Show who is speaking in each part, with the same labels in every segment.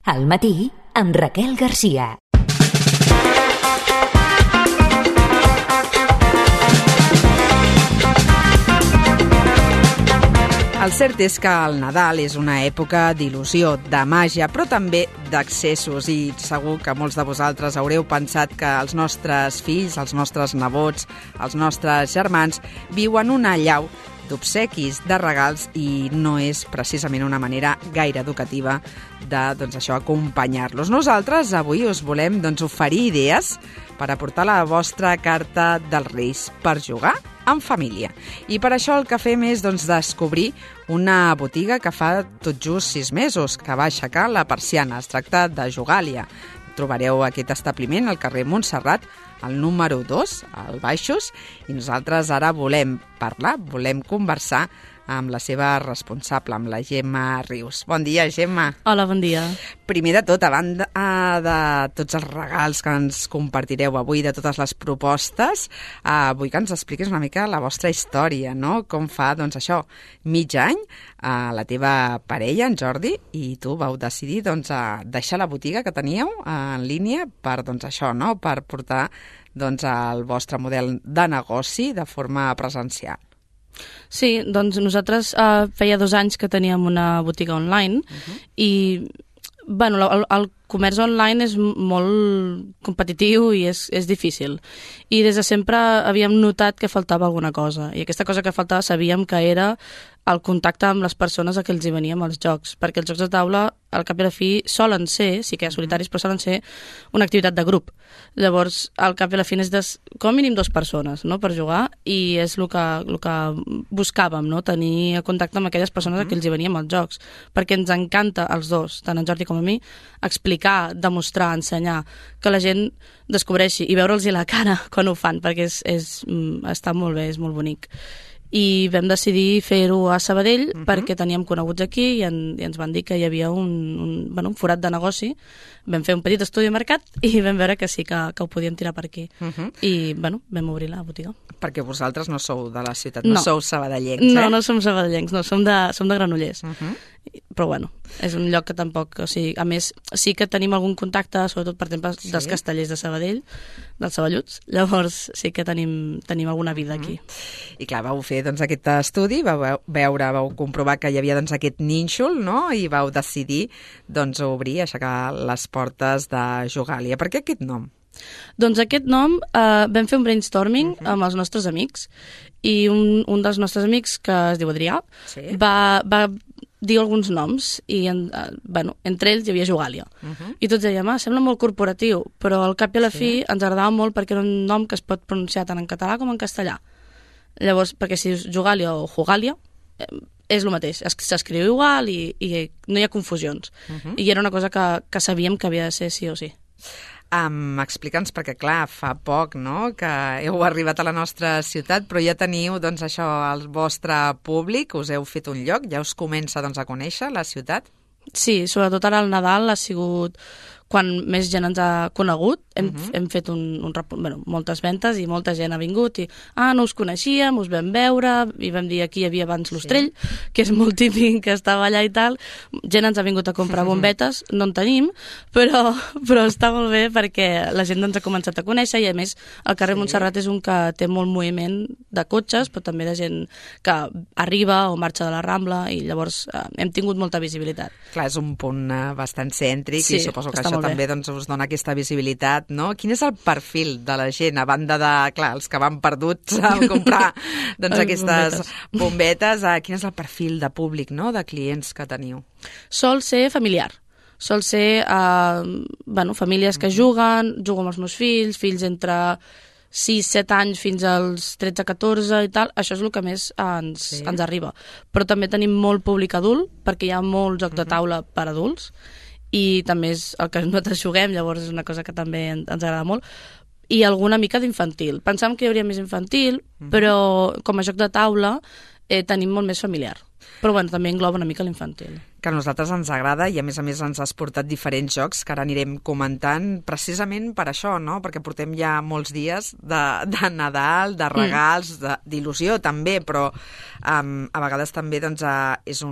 Speaker 1: Al matí, amb Raquel Garcia.
Speaker 2: El cert és que el Nadal és una època d'il·lusió, de màgia, però també d'accessos, i segur que molts de vosaltres haureu pensat que els nostres fills, els nostres nebots, els nostres germans viuen una allau d'obsequis, de regals, i no és precisament una manera gaire educativa de, acompanyar-los. Nosaltres avui us volem oferir idees per aportar la vostra carta dels Reis per jugar en família. I per això el que fem és descobrir una botiga que fa tot just 6 mesos que va aixecar la persiana. Es tracta de Jugàlia. Trobareu aquest establiment al carrer Montserrat, al número 2, al Baixos, i nosaltres ara volem parlar, volem conversar amb la seva responsable, amb la Gemma Rius. Bon dia, Gemma.
Speaker 3: Hola, bon dia.
Speaker 2: Primer de tot, a banda de tots els regals que ens compartireu avui, de totes les propostes, vull que ens expliquis una mica la vostra història, no? Com fa, mig any, la teva parella, en Jordi, i tu vau decidir deixar la botiga que teníeu en línia per, per portar el vostre model de negoci de forma presencial.
Speaker 3: Sí, nosaltres feia 2 anys que teníem una botiga online i el comerç online és molt competitiu i és difícil. I des de sempre havíem notat que faltava alguna cosa. I aquesta cosa que faltava sabíem que era el contacte amb les persones a què els hi veníem els jocs. Perquè els jocs de taula, al cap i a la fi, solen ser, sí que hi ha solitaris, però solen ser una activitat de grup. Llavors, al cap i a la fi és com a mínim 2 persones, no?, per jugar, i és el que buscàvem, no?, tenir contacte amb aquelles persones a què els hi veníem els jocs. Perquè ens encanta, als dos, tant en Jordi com a mi, explicar, demostrar, ensenyar, que la gent descobreixi i veure'ls la cara quan ho fan, perquè està molt bé, és molt bonic. I vam decidir fer-ho a Sabadell perquè teníem coneguts aquí i ens van dir que hi havia un forat de negoci. Vam fer un petit estudi de mercat i vam veure que sí que ho podíem tirar per aquí. I vam obrir la botiga.
Speaker 2: Perquè vosaltres no sou de la ciutat, no sou sabadellencs,
Speaker 3: No, no som sabadellencs, no, som de Granollers. Però és un lloc que tampoc... a més, sí que tenim algun contacte, sobretot, per exemple, dels castellers de Sabadell, dels saballuts, llavors sí que tenim alguna vida aquí.
Speaker 2: I clar, vau fer aquest estudi, vau comprovar que hi havia aquest nínxol, no?, i vau decidir obrir, aixecar les portes de Jugàlia. Per què aquest nom?
Speaker 3: Doncs aquest nom vam fer un brainstorming amb els nostres amics i un dels nostres amics, que es diu Adrià, va dir alguns noms i entre ells hi havia Jugàlia. I tots dèiem, sembla molt corporatiu, però al cap i a la fi ens agradava molt perquè era un nom que es pot pronunciar tant en català com en castellà. Llavors, perquè si és Jugàlia o Jugàlia, és el mateix, s'escriu igual i no hi ha confusions. I era una cosa que sabíem que havia de ser sí o sí.
Speaker 2: Explica'ns, perquè clar, fa poc, no?, que heu arribat a la nostra ciutat, però ja teniu, el vostre públic, us heu fet un lloc, ja us comença, a conèixer la ciutat?
Speaker 3: Sí, sobretot ara al Nadal ha sigut quan més gent ens ha conegut. Hem fet moltes ventes i molta gent ha vingut i no us coneixíem, us vam veure i vam dir aquí hi havia abans l'Ostrell, que és molt típic, que estava allà i tal. Gent ens ha vingut a comprar bombetes, no en tenim, però està molt bé perquè la gent ens ha començat a conèixer i a més el carrer Montserrat és un que té molt moviment de cotxes, però també de gent que arriba o marxa de la Rambla i llavors hem tingut molta visibilitat.
Speaker 2: Clar, és un punt bastant cèntric i suposo que això també us dona aquesta visibilitat, no? Quin és el perfil de la gent, a banda de, clar, els que van perduts a comprar aquestes bombetes, quin és el perfil de públic, no?, de clients que teniu?
Speaker 3: Sol ser familiar. Sol ser famílies que juguen amb els meus fills entre 6-7 anys fins als 13-14 i tal, això és el que més ens arriba. Però també tenim molt públic adult, perquè hi ha molt joc de taula per adults, i també és el que nosaltres juguem, llavors és una cosa que també ens agrada molt, i alguna mica d'infantil. Pensàvem que hi hauria més infantil, però com a joc de taula tenim molt més familiar. Però també engloba una mica l'infantil.
Speaker 2: Que a nosaltres ens agrada i a més ens has portat diferents jocs que ara anirem comentant precisament per això, no? Perquè portem ja molts dies de Nadal, de regals, d'il·lusió també, però a vegades també és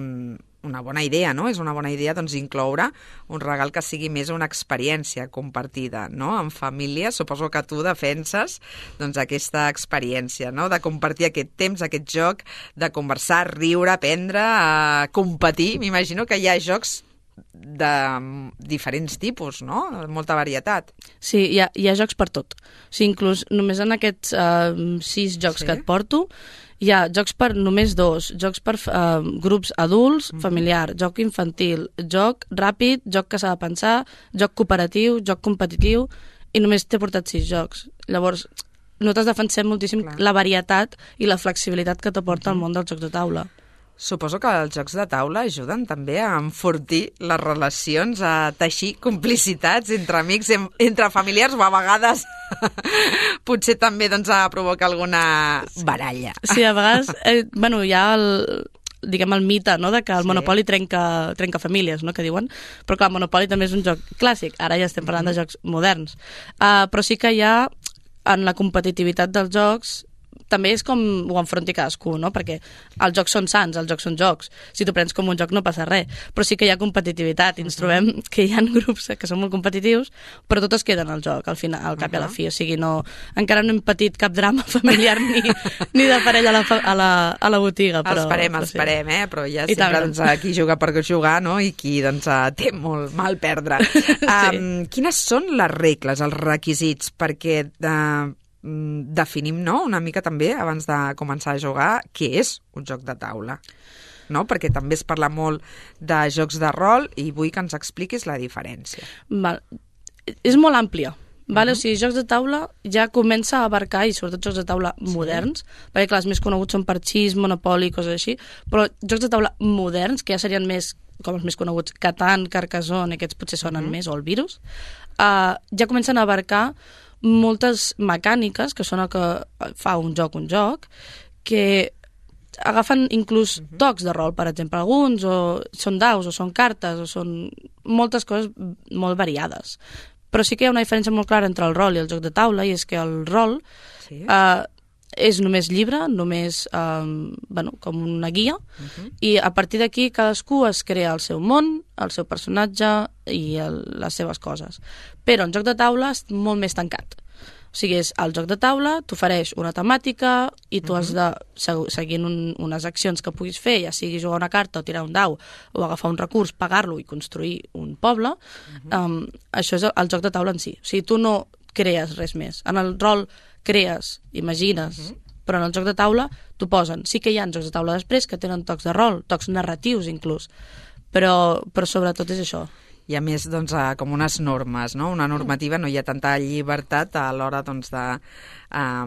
Speaker 2: una bona idea, no? És una bona idea doncs, incloure un regal que sigui més una experiència compartida, no? En família, suposo que tu defenses doncs, aquesta experiència, no? De compartir aquest temps, aquest joc, de conversar, riure, aprendre, competir. M'imagino que hi ha jocs de diferents tipus, no? Molta varietat.
Speaker 3: Sí, hi ha jocs per tot. O sigui, inclús només en aquests 6 jocs que et porto, hi ha jocs per només 2, jocs per grups adults, familiar, joc infantil, joc ràpid, joc que s'ha de pensar, joc cooperatiu, joc competitiu, i només t'he portat 6 jocs. Llavors, nosaltres defensem moltíssim la varietat i la flexibilitat que t'aporta el món dels jocs de taula.
Speaker 2: Suposo que els jocs de taula ajuden també a enfortir les relacions, a teixir complicitats entre amics, entre familiars, o a vegades potser també doncs, a provocar alguna baralla.
Speaker 3: Sí, a vegades hi ha el mite, no?, de que el Monopoly trenca famílies, no?, que diuen, però clar, el Monopoly també és un joc clàssic, ara ja estem parlant de jocs moderns, però sí que hi ha, en la competitivitat dels jocs, també és com ho enfronti cadascú, no? Perquè els jocs són sans, els jocs són jocs. Si t'ho prens com un joc no passa res, però sí que hi ha competitivitat i ens trobem que hi ha grups que són molt competitius, però tots es queden al joc, al final, al cap i a la fi. O sigui, encara no hem patit cap drama familiar ni de parella a la botiga. Però,
Speaker 2: esperem, però ja sempre doncs, qui juga per jugar, no? I qui doncs, té molt mal perdre. Quines són les regles, els requisits perquè definim, no?, una mica també, abans de començar a jugar, què és un joc de taula, no? Perquè també es parla molt de jocs de rol i vull que ens expliquis la diferència.
Speaker 3: És molt àmplia. O sigui, jocs de taula ja comença a abarcar, i sobretot jocs de taula moderns, perquè clar, els més coneguts són Parchís, Monopoly, coses així, però jocs de taula moderns, que ja serien més, com els més coneguts, Catan, Carcassonne, aquests potser sonen més, o el Virus, ja comencen a abarcar moltes mecàniques, que són el que fa un joc, que agafen inclús tocs de rol, per exemple, alguns, o són daus, o són cartes, o són moltes coses molt variades. Però sí que hi ha una diferència molt clara entre el rol i el joc de taula, i és que el rol és només llibre, només com una guia, i a partir d'aquí cadascú es crea el seu món, el seu personatge i les seves coses. Però en joc de taula és molt més tancat. O sigui, és el joc de taula, t'ofereix una temàtica i tu has de, seguint unes accions que puguis fer, ja sigui jugar una carta o tirar un dau o agafar un recurs, pagar-lo i construir un poble, això és el joc de taula en si. O sigui, tu no crees res més. En el rol crees, imagines, però en el joc de taula t'ho posen. Sí que hi ha jocs de taula després que tenen tocs de rol, tocs narratius inclús, però sobretot és això.
Speaker 2: Hi ha més doncs, com unes normes, no? Una normativa, no hi ha tanta llibertat a l'hora doncs, de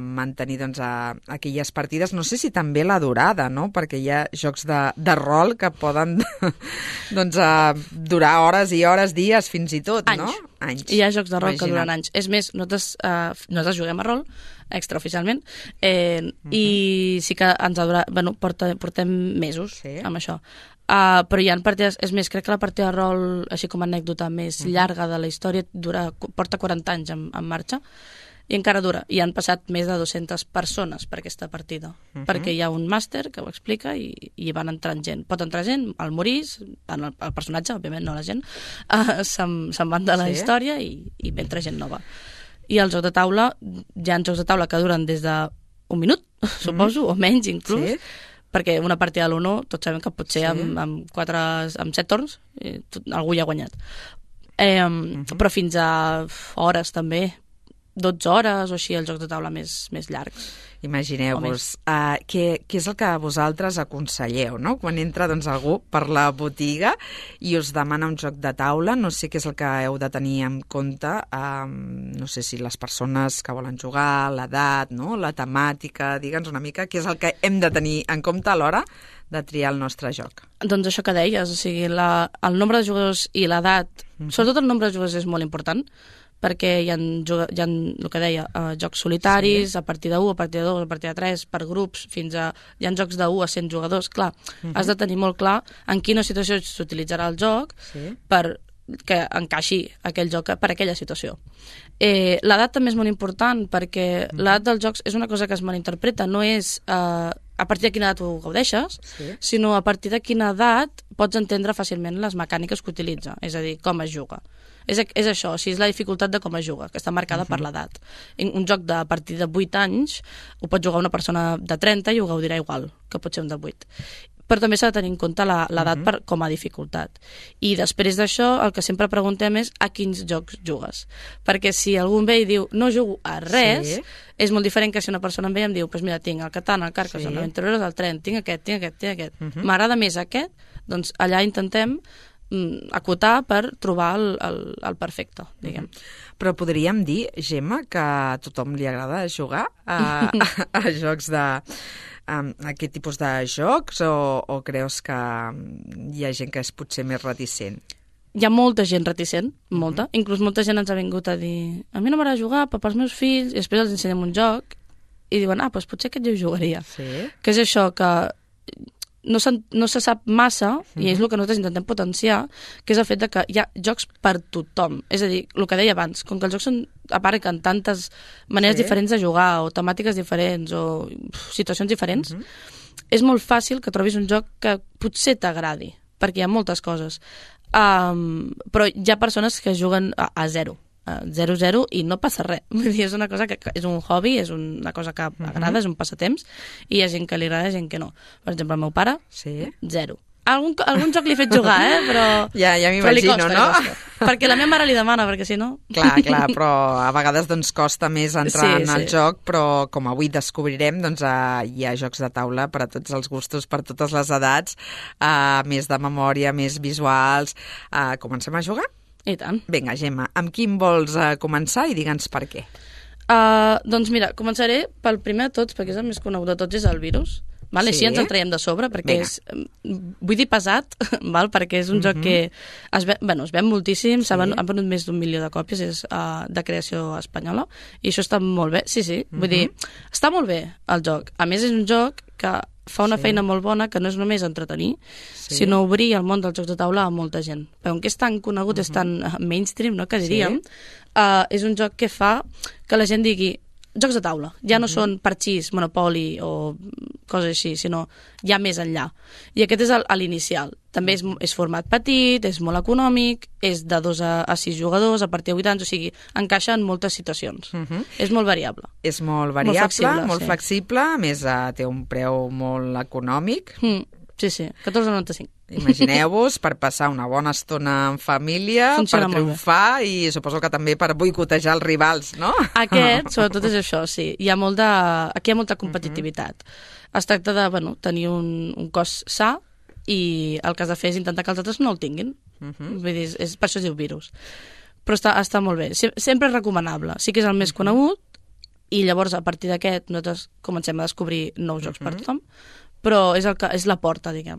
Speaker 2: mantenir doncs, aquelles partides. No sé si també la durada, no? Perquè hi ha jocs de rol que poden doncs, durar hores i hores, dies, fins i tot, no?
Speaker 3: Anys. Hi ha jocs de rol que duren anys. És més, nosaltres juguem a rol, extraoficialment, i sí que ens portem mesos amb això. Però hi ha partides, és més, crec que la partida de rol, així com a anècdota més llarga de la història, porta 40 anys en marxa, i encara dura. I han passat més de 200 persones per aquesta partida, perquè hi ha un màster que ho explica i van entrant gent. Pot entrar gent, al morir, el personatge, òbviament, no la gent, se'n van de la història i entra gent nova. I el joc de taula, hi ha jocs de taula que duren des d'un minut, suposo, o menys inclús, perquè una partida de l'1 tots sabem que potser amb 7 torns algú ja ha guanyat. Però fins a hores també, 12 hores o així, els jocs de taula més llargs.
Speaker 2: Imagineu-vos, què és el que vosaltres aconselleu, no? Quan entra doncs, algú per la botiga i us demana un joc de taula, no sé què és el que heu de tenir en compte, no sé si les persones que volen jugar, l'edat, no? La temàtica, digue'ns una mica, què és el que hem de tenir en compte a l'hora de triar el nostre joc.
Speaker 3: Doncs això que deies, o sigui, el nombre de jugadors i l'edat, sobretot el nombre de jugadors és molt important, perquè hi ha el que deia, jocs solitaris, a partir de 1, a partir de 2, a partir de 3, per grups, fins a... Hi ha jocs de 1 a 100 jugadors, clar, has de tenir molt clar en quina situació s'utilitzarà el joc per que encaixi aquell joc per aquella situació. L'edat també és molt important, perquè l'edat dels jocs és una cosa que es malinterpreta, no és a partir de quina edat ho gaudeixes, sinó a partir de quina edat pots entendre fàcilment les mecàniques que utilitza, és a dir, com es juga. És això, o sigui, és la dificultat de com es juga, que està marcada per l'edat. Un joc de a partir de 8 anys ho pot jugar una persona de 30 i ho gaudirà igual que pot ser un de 8. Però també s'ha de tenir en compte l'edat com a dificultat. I després d'això, el que sempre preguntem és a quins jocs jugues. Perquè si algú em ve i diu no jugo a res, és molt diferent que si una persona em ve i em diu pues mira, tinc el Catan, el Carcassonne, l'Aventureros, el Tren, tinc aquest. M'agrada més aquest, doncs allà intentem acotar per trobar el perfecte, diguem.
Speaker 2: Però podríem dir, Gemma, que a tothom li agrada jugar a jocs de... aquest tipus de jocs o creus que hi ha gent que és potser més reticent?
Speaker 3: Hi ha molta gent reticent, molta. Inclús molta gent ens ha vingut a dir a mi no m'agrada jugar, però pels meus fills, i després els ensenyem un joc i diuen, doncs potser aquest jo jugaria. Que és això, que no se sap massa, i és el que nosaltres intentem potenciar, que és el fet de que hi ha jocs per tothom. És a dir, el que deia abans, com que els jocs són, a part que en tantes maneres diferents de jugar, o temàtiques diferents, o situacions diferents, és molt fàcil que trobis un joc que potser t'agradi, perquè hi ha moltes coses. Però hi ha persones que juguen a 0 i no passa res. Vull dir, és una cosa que és un hobby, és una cosa que agrada, és un passatemps, i hi ha gent que li agrada i gent que no. Per exemple, el meu pare, 0. Algun joc li he fet jugar, però...
Speaker 2: Ja m'imagino, no?
Speaker 3: Perquè la meva mare li demana, perquè si no...
Speaker 2: Clar, però a vegades doncs costa més entrar en el joc, però com avui descobrirem, doncs hi ha jocs de taula per a tots els gustos, per totes les edats, més de memòria, més visuals. Comencem a jugar?
Speaker 3: I tant.
Speaker 2: Vinga, Gemma, amb quin vols començar i digue'ns per què?
Speaker 3: Doncs mira, començaré pel primer de tots, perquè és el més conegut de tots, és el virus. Vale? Així ens el traiem de sobre, perquè és, vull dir pesat, val? Perquè és un joc que es ven moltíssim, han venut més d'1 milió de còpies, és de creació espanyola, i això està molt bé, vull dir, està molt bé el joc. A més, és un joc que fa una feina molt bona, que no és només entretenir, sinó obrir el món dels jocs de taula a molta gent. Però com que és tan conegut, és tan mainstream, no?, que diríem, és un joc que fa que la gent digui jocs de taula, ja no són parxís, Monopoli o coses així, sinó ja més enllà. I aquest és l'inicial. També és format petit, és molt econòmic, és de 2 a 6 jugadors, a partir de 8 anys, o sigui, encaixa en moltes situacions. És molt variable.
Speaker 2: És molt variable, molt flexible, a més té un preu molt econòmic.
Speaker 3: Sí, 14,95.
Speaker 2: Imagineu-vos, per passar una bona estona en família, per triomfar i suposo que també per boicotejar els rivals, no?
Speaker 3: Aquest, sobretot, és això, sí. Aquí hi ha molta competitivitat. Es tracta de tenir un cos sa i el que has de fer és intentar que els altres no el tinguin. Vull dir, per això es diu virus. Però està molt bé. Sempre és recomanable. Sí que és el més conegut i llavors a partir d'aquest nosaltres comencem a descobrir nous jocs per tothom, però és la porta, diguem.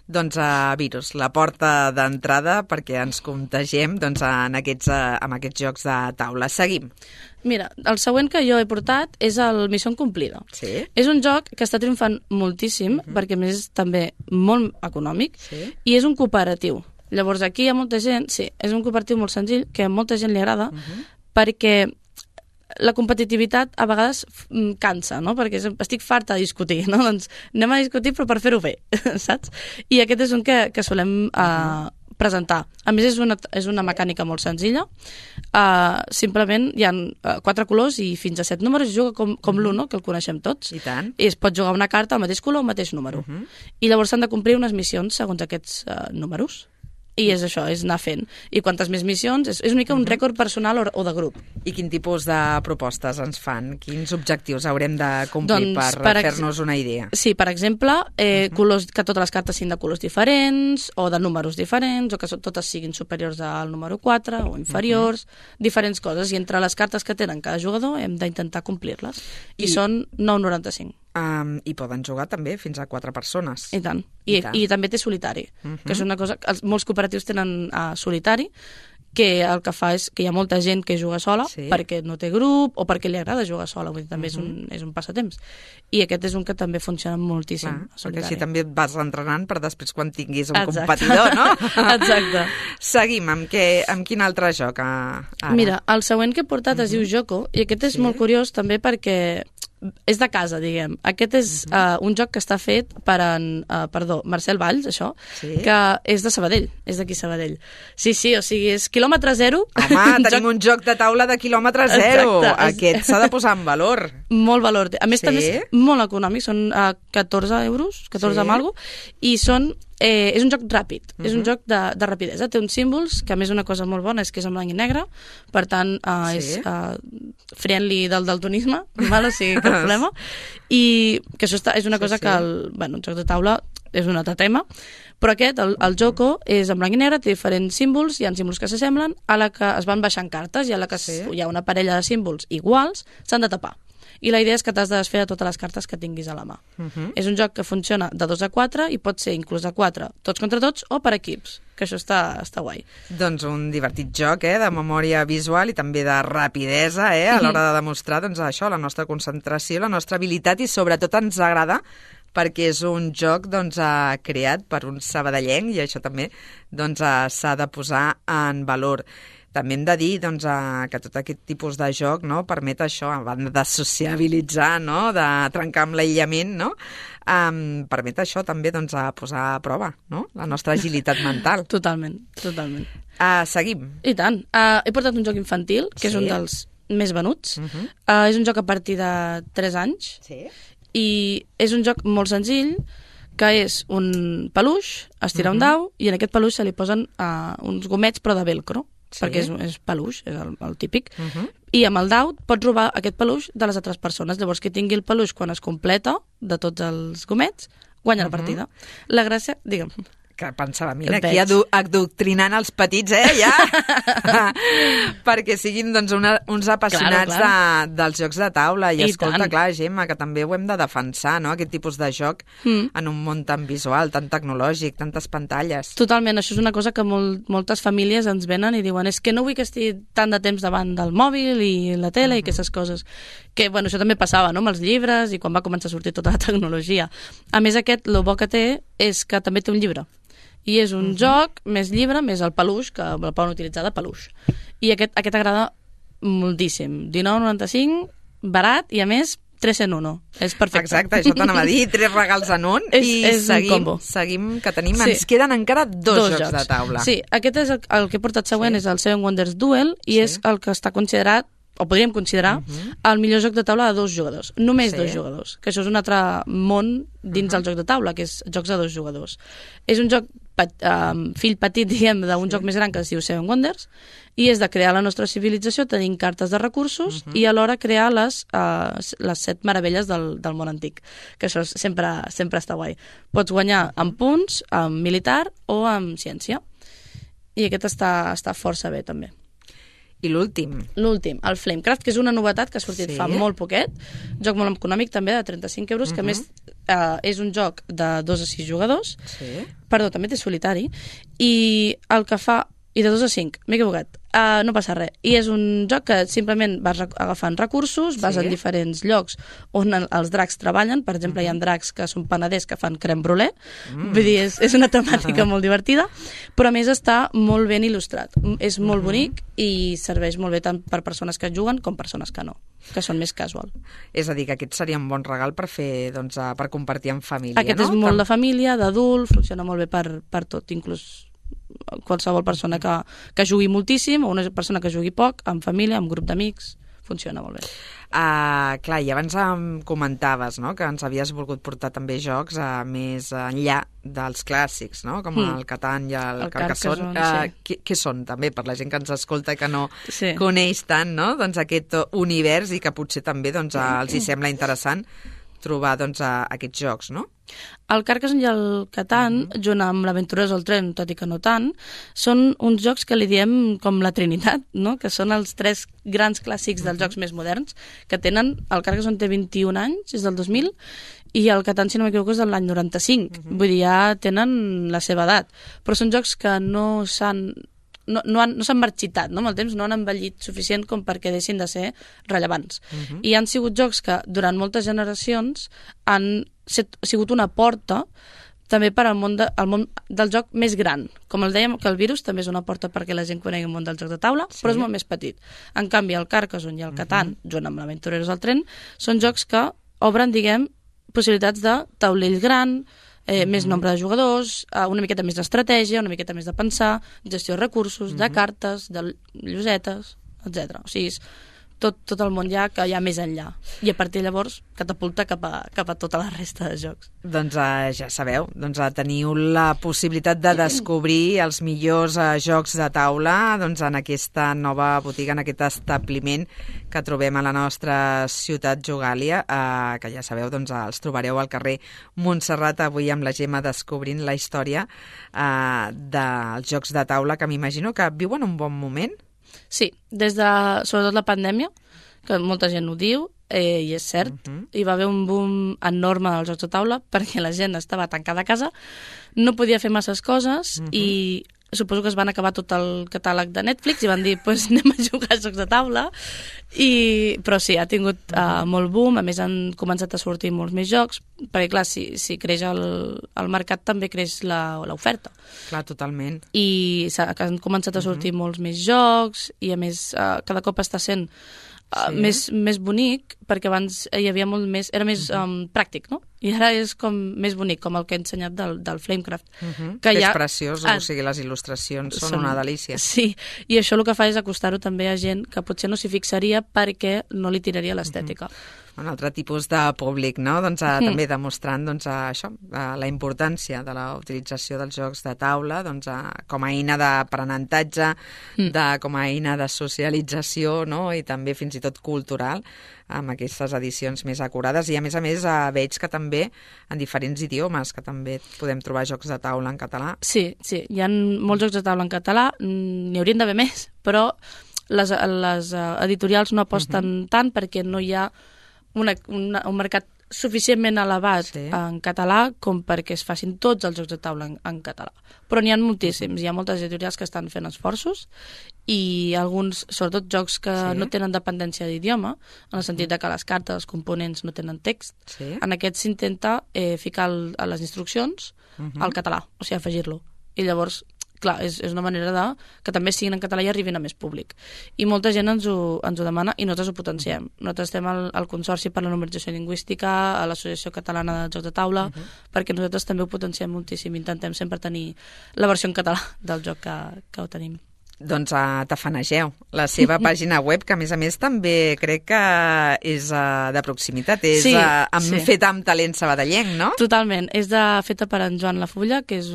Speaker 2: Doncs virus, la porta d'entrada perquè ens contegem amb aquests jocs de taula. Seguim.
Speaker 3: Mira, el següent que jo he portat és el Mission Complida. És un joc que està triomfant moltíssim perquè a més és també molt econòmic i és un cooperatiu. Llavors aquí hi ha molta gent, és un cooperatiu molt senzill que a molta gent li agrada perquè la competitivitat a vegades cansa, no? Perquè estic farta de discutir, no? Doncs anem a discutir però per fer-ho bé, saps? I aquest és un que solem presentar. A més, és una mecànica molt senzilla. Simplement hi ha 4 colors i fins a 7 números. Es juga com l'Uno, que el coneixem tots.
Speaker 2: I tant.
Speaker 3: I es pot jugar una carta al mateix color o al mateix número. I llavors s'han de complir unes missions segons aquests números. I és això, és anar fent. I quantes més missions, és una mica un rècord personal o de grup.
Speaker 2: I quin tipus de propostes ens fan? Quins objectius haurem de complir per fer-nos una idea?
Speaker 3: Sí, per exemple, que totes les cartes siguin de colors diferents, o de números diferents, o que totes siguin superiors al número 4, o inferiors, diferents coses. I entre les cartes que tenen cada jugador hem d'intentar complir-les. I són 9,95.
Speaker 2: I poden jugar també fins a 4 persones.
Speaker 3: I tant. I també té solitari, que és una cosa... Molts cooperatius tenen solitari, que el que fa és que hi ha molta gent que juga sola perquè no té grup o perquè li agrada jugar sola, vull dir, també és un passatemps. I aquest és un que també funciona moltíssim.
Speaker 2: Perquè així també et vas entrenant per després quan tinguis un competidor, no?
Speaker 3: Exacte.
Speaker 2: Seguim, amb quin altre joc ara?
Speaker 3: Mira, el següent que he portat es diu Joko, i aquest és molt curiós també perquè és de casa, diguem. Aquest és un joc que està fet per Marcel Valls, això, que és de Sabadell, és d'aquí Sabadell. Sí, o sigui, és quilòmetre zero.
Speaker 2: Home, tenim un joc de taula de quilòmetre zero. Exacte. Aquest s'ha de posar en valor.
Speaker 3: Molt valor. A més, també és molt econòmic, són 14 euros, 14 amb alguna cosa, i és un joc ràpid, és un joc de rapidesa. Té uns símbols, que a més una cosa molt bona és que és en blanc i negre, per tant és friendly del daltonisme, o sigui, cap problema, i que això és una cosa que un joc de taula és un altre tema, però aquest, el Joco, és en blanc i negre, té diferents símbols, hi ha símbols que s'assemblen, a la que es van baixant cartes i a la que hi ha una parella de símbols iguals, s'han de tapar. I la idea és que t'has de desfer de totes les cartes que tinguis a la mà. És un joc que funciona de 2 a 4 i pot ser inclús a 4, tots contra tots o per equips, que això està guai.
Speaker 2: Doncs un divertit joc, de memòria visual i també de rapidesa, a l'hora de demostrar això, la nostra concentració, la nostra habilitat, i sobretot ens agrada perquè és un joc creat per un sabadellenc i això també s'ha de posar en valor. També hem de dir que tot aquest tipus de joc permet això, a banda de sociabilitzar, de trencar amb l'aïllament, permet això també posar a prova la nostra agilitat mental.
Speaker 3: Totalment.
Speaker 2: Seguim.
Speaker 3: I tant. He portat un joc infantil, que és un dels més venuts. És un joc a partir de 3 anys i és un joc molt senzill, que és un peluix, es tira un dau i en aquest peluix se li posen uns gomets però de velcro, perquè és peluix, és el típic, i amb el dau pots robar aquest peluix de les altres persones. Llavors, qui tingui el peluix quan es completa de tots els gomets, guanya la partida. La gràcia, digue'm...
Speaker 2: Que pensava, mira, aquí adoctrinant els petits, ja, perquè siguin uns apassionats dels jocs de taula. I escolta, clar, Gemma, que també ho hem de defensar, aquest tipus de joc en un món tan visual, tan tecnològic, tantes pantalles.
Speaker 3: Totalment, això és una cosa que moltes famílies ens venen i diuen és que no vull que estigui tant de temps davant del mòbil i la tele i aquestes coses. Que, això també passava, amb els llibres i quan va començar a sortir tota la tecnologia. A més, el bo que té és que també té un llibre. I és un joc més llibre, més el peluix, que el poden utilitzar de peluix. I aquest agrada moltíssim. 19,95, barat i, a més, 3 en 1. És perfecte.
Speaker 2: Exacte, això t'anava a dir, 3 regals en un.
Speaker 3: És un combo.
Speaker 2: Seguim, que tenim. Ens queden encara dos jocs de taula.
Speaker 3: Sí, aquest és el que he portat següent, és el Seven Wonders Duel, i és el que està considerat, o podríem considerar, el millor joc de taula de 2 jugadors. Només 2 jugadors. Que això és un altre món dins del joc de taula, que és jocs de 2 jugadors. És un joc fill petit, diguem, d'un joc més gran que es diu Seven Wonders, i és de crear la nostra civilització tenint cartes de recursos i alhora crear les 7 meravelles del món antic, que això sempre està guai. Pots guanyar amb punts, amb militar o amb ciència. I aquest està força bé, també.
Speaker 2: I l'últim?
Speaker 3: L'últim, el Flamecraft, que és una novetat que ha sortit fa molt poquet, joc molt econòmic també, de 35 euros, que a més és un joc de 2 a 6 jugadors, perdó, també té solitari, i el que fa... I de 2 a 5, m'he equivocat. No passa res. I és un joc que simplement vas agafant recursos, vas en diferents llocs on els dracs treballen. Per exemple, hi ha dracs que són panaders que fan crème brûlée. Vull dir, és una temàtica molt divertida, però a més està molt ben il·lustrat. És molt bonic i serveix molt bé tant per persones que juguen com persones que no, que són més casual.
Speaker 2: És a dir, que aquest seria un bon regal per fer, per compartir en família,
Speaker 3: Aquest és molt de família, d'adult, funciona molt bé per tot, inclús qualsevol persona que jugui moltíssim o una persona que jugui poc, amb família, amb grup d'amics, funciona molt bé.
Speaker 2: Clar, i abans em comentaves que ens havies volgut portar també jocs més enllà dels clàssics, com el Catan i el Carcassonne. Què són, també, per la gent que ens escolta i que no coneix tant aquest univers i que potser també els hi sembla interessant trobar aquests jocs, no?
Speaker 3: El Carcassonne i el Catan, junt amb l'Aventurers al tren, tot i que no tant, són uns jocs que li diem com la Trinitat, no? Que són els 3 grans clàssics dels jocs més moderns, que tenen... El Carcassonne té 21 anys, és del 2000, i el Catan, si no m'equivoco, és de l'any 95. Vull dir, ja tenen la seva edat. Però són jocs que no s'han marxitat, no? Amb el temps no han envellit suficient com perquè deixin de ser rellevants. I han sigut jocs que durant moltes generacions han sigut una porta també per al món del joc més gran. Com el dèiem, que el virus també és una porta perquè la gent conegui el món del joc de taula, però és molt més petit. En canvi, el Carcassonne i el Catan, junt amb l'Aventureros al tren, són jocs que obren, diguem, possibilitats de taulell gran, més nombre de jugadors, una miqueta més d'estratègia, una miqueta més de pensar, gestió de recursos, de cartes, de llosetes, etc. O sigui, tot el món ja que hi ha més enllà. I a partir de llavors catapulta cap a tota la resta de jocs.
Speaker 2: Doncs ja sabeu, teniu la possibilitat de descobrir els millors jocs de taula en aquesta nova botiga, en aquest establiment que trobem a la nostra ciutat Jogàlia, que ja sabeu, els trobareu al carrer Montserrat, avui amb la Gemma descobrint la història dels jocs de taula, que m'imagino que viuen un bon moment.
Speaker 3: Sí, des de, sobretot la pandèmia, que molta gent ho diu, i és cert, hi va haver un boom enorme dels jocs de taula perquè la gent estava tancada a casa, no podia fer masses coses i suposo que es van acabar tot el catàleg de Netflix i van dir, pues anem a jugar a jocs de taula, però sí, ha tingut molt boom, a més han començat a sortir molts més jocs, perquè clar, si creix el mercat també creix l'oferta.
Speaker 2: Clar, totalment.
Speaker 3: I han començat a sortir molts més jocs i a més cada cop està sent més bonic, perquè abans hi havia molt més, era més pràctic, no? I ara és com més bonic, com el que he ensenyat del Flamecraft.
Speaker 2: Que és preciós, o sigui, les il·lustracions són una delícia.
Speaker 3: Sí, i això el que fa és acostar-ho també a gent que potser no s'hi fixaria perquè no li tiraria l'estètica.
Speaker 2: Un altre tipus de públic, no? També demostrant això, la importància de la utilització dels jocs de taula com a eina d'aprenentatge, com a eina de socialització, no? I també fins i tot cultural, amb aquestes edicions més acurades. I a més veig que també en diferents idiomes, que també podem trobar jocs de taula en català. Sí,
Speaker 3: hi ha molts jocs de taula en català, n'hi haurien d'haver més, però les editorials no aposten tant perquè no hi ha un mercat suficientment elevat en català com perquè es facin tots els jocs de taula en català. Però n'hi ha moltíssims, hi ha moltes editorials que estan fent esforços i alguns, sobretot jocs que no tenen dependència d'idioma, en el sentit que les cartes, els components no tenen text. En aquest s'intenta ficar a les instruccions al català, o sigui, afegir-lo. I llavors, clar, és una manera que també siguin en català i arribin a més públic. I molta gent ens ho demana i nosaltres ho potenciem. Nosaltres estem al Consorci per la Normalització Lingüística, a l'Associació Catalana de Jocs de Taula, perquè nosaltres també ho potenciem moltíssim. Intentem sempre tenir la versió en català del joc que ho tenim.
Speaker 2: Doncs tafanegeu la seva pàgina web, que a més també crec que és de proximitat, és feta amb talent sabadellenc, no?
Speaker 3: Totalment, és feta per en Joan Lafulla, que és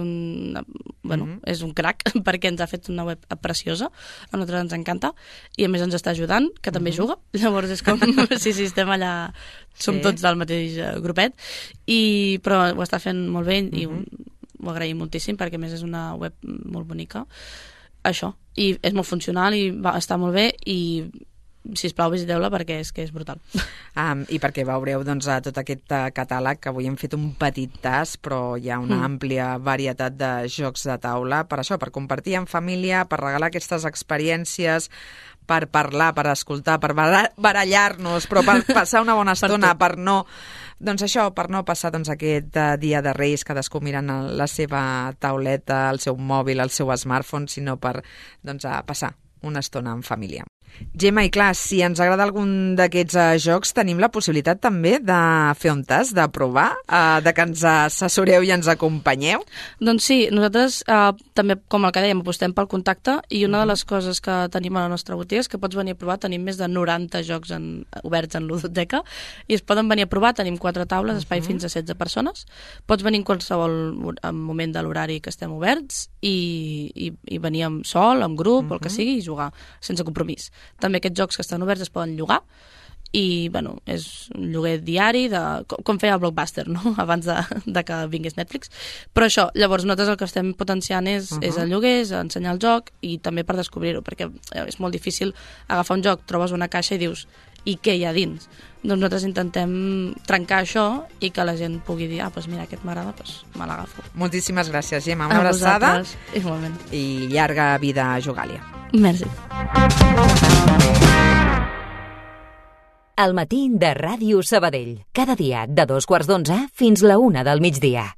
Speaker 3: és un crac, perquè ens ha fet una web preciosa, a nosaltres ens encanta, i a més ens està ajudant, que també juga, llavors és com si estem allà, som tots del mateix grupet, però ho està fent molt bé i ho agraïm moltíssim, perquè a més és una web molt bonica. Això, i és molt funcional i està molt bé i sisplau visiteu-la perquè és que és brutal.
Speaker 2: I perquè veureu tot aquest catàleg, que avui hem fet un petit tas, però hi ha una àmplia varietat de jocs de taula per això, per compartir en família, per regalar aquestes experiències, per parlar, per escoltar, per barallar-nos, però per passar una bona estona, per no passar aquest dia de Reis, cadascú mirant la seva tauleta, el seu mòbil, el seu smartphone, sinó per passar una estona en família. Gemma, i clar, si ens agrada algun d'aquests jocs, tenim la possibilitat també de fer un tast, de provar, de que ens assessoreu i ens acompanyeu?
Speaker 3: Doncs sí, nosaltres també, com el que dèiem, apostem pel contacte i una de les coses que tenim a la nostra botiga és que pots venir a provar. Tenim més de 90 jocs oberts en ludoteca i es poden venir a provar. Tenim 4 taules, espai fins a 16 persones. Pots venir en qualsevol moment de l'horari que estem oberts i venir sol, en grup, el que sigui, i jugar sense compromís. També aquests jocs que estan oberts es poden llogar i, és un lloguer diari, com feia el Blockbuster, no? Abans de que vingués Netflix. Però això, llavors nosaltres el que estem potenciant és el lloguer, és ensenyar el joc i també per descobrir-ho, perquè és molt difícil agafar un joc, trobes una caixa i dius, i què hi ha dins? Doncs nosaltres intentem trencar això i que la gent pugui dir, mira, aquest m'agrada, me l'agafo.
Speaker 2: Moltíssimes gràcies, Gemma. Una abraçada.
Speaker 3: Igualment.
Speaker 2: I llarga vida a Jogàlia.
Speaker 3: Merci.
Speaker 1: Al matí de Ràdio Sabadell. Cada dia de 2:15 fins la 1 del migdia.